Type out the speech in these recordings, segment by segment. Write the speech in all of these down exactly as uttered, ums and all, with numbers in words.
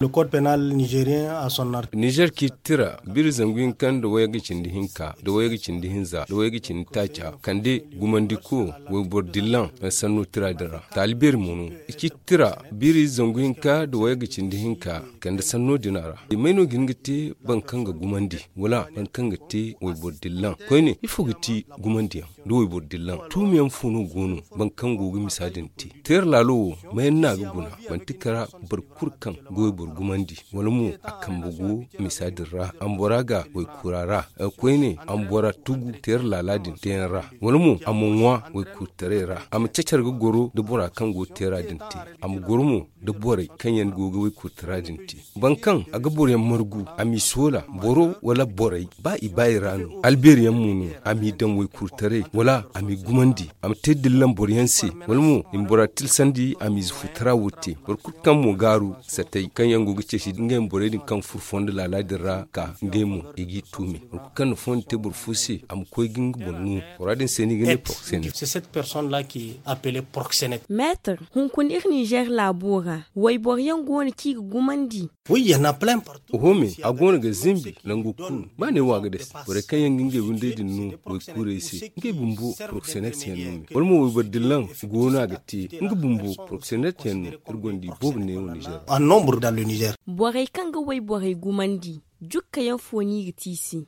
Le code pénal nigérien a son article. Nizer ci tira biri zangu hinka nda wayga cindi hinka nda wayga cindi hinza nda wayga cindi taaca kande gumandiko wayboro dillan sanno tira din ra. Taali beeri mo no i ci tira biri zangu hinka nda wayga cindi hinka kande sanno din ra. I may no ga hin ga te boro kaŋ ga gumandi wala boro kaŋ ga te wayboro dillan koyne ifo ga ti gumandiyaŋ nda wayboro dillan tuumiyaŋ fo no go no boro kaŋ go ga misa din te. Teera laalo wo mayaŋ no a ga guna manti kara boro kulu kaŋ ga wayboro gumandi wala mo a kambe go misa din ra a ma bora ga waykura ra koyne a ma bora tugu teera laala din teeyaŋ ra wala mo a ma ŋwa waykurtaray ra a ma cacar ga goro nda bora kaŋ go teera din te a ma goro mo nda borey kaŋ yaŋ go ga waykurtara din te. Boro kaŋ a ga boroyaŋ margu a m'i soola boro wala borey ba i ba i ra no albeeriyaŋ mo no a m'i daŋ waykurtaray wala a m'i gumandi a ma te dillan boroyaŋ se wala mo i ma bora tilsandi a m'ize futara wo te boro kulu kaŋ mo gaaru satey kaŋ yaŋ go ga ceeci ngey ma borey din kaŋ furo fondo laala din ra ka ngey mo i g'i tuumi boro kulu kaŋ na fondo te boro fo se a ma koy ga nga boŋ no. Bora din se no i ga ne proxénète. Maître, hunkuna iri nizer laabo ra wayboro yaŋ go no kaŋ i ga gumandi. Oho me a go no ga zimbi nangu kulu ba ne wo a ga dase borey kaŋ yaŋ ga ngey windey din no waykuurey se ngey bumbo proxénète yaŋ no me wala mo wayboro dillan go no a ga te nga bumbo proxénète yaŋ no. Iri gonda i boobo neewo nizer. Borey kaŋ ga wayborey gumandi jukka yaŋ fo no i ga te i se.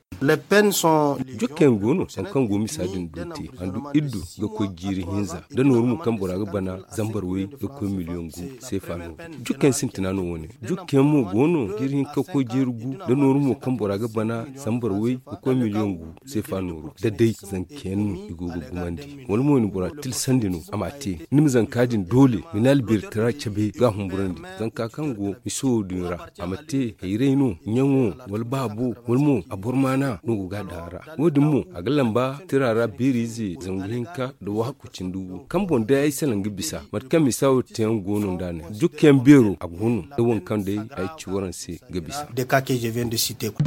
Jukka yaŋ go no hari kaŋ go misa din do te handu iddu ga koy jiiri hinza nda nooru mo kaŋ bora ga bana zambar way ga koy miliyoŋ gu seefa no. Jukka yaŋ sintina no wo- ne jukka yaŋ mo go no jiiri hinka ga koy jiiri gu nda nooru mo kaŋ bora ga bana zambar way ga koy miliyoŋ gu seefa nooru da day zanka yaŋ no i go ga gumandi wala mo i na bora tilsandi no a m'a te ni ma zanka din doole ma ni albeeritara cabe ga a humburandi zanka kaŋ go miso din ra a ma te hayray no ɲaŋo wala baabo wala mo a boro maana no go ga a daŋ a ra. Wo- din mo a ga lamba tira ra beeri ize zangu hinka nda waaku cindi gu kaŋ boŋ day ay salaŋ ga bisa mate kaŋ misa wo te yaŋ go no nd'a ne jukka yaŋ beero a go no nda waŋ kaŋ day ay ci waraŋ se ga bisa. Des cas que je viens de citer quoi.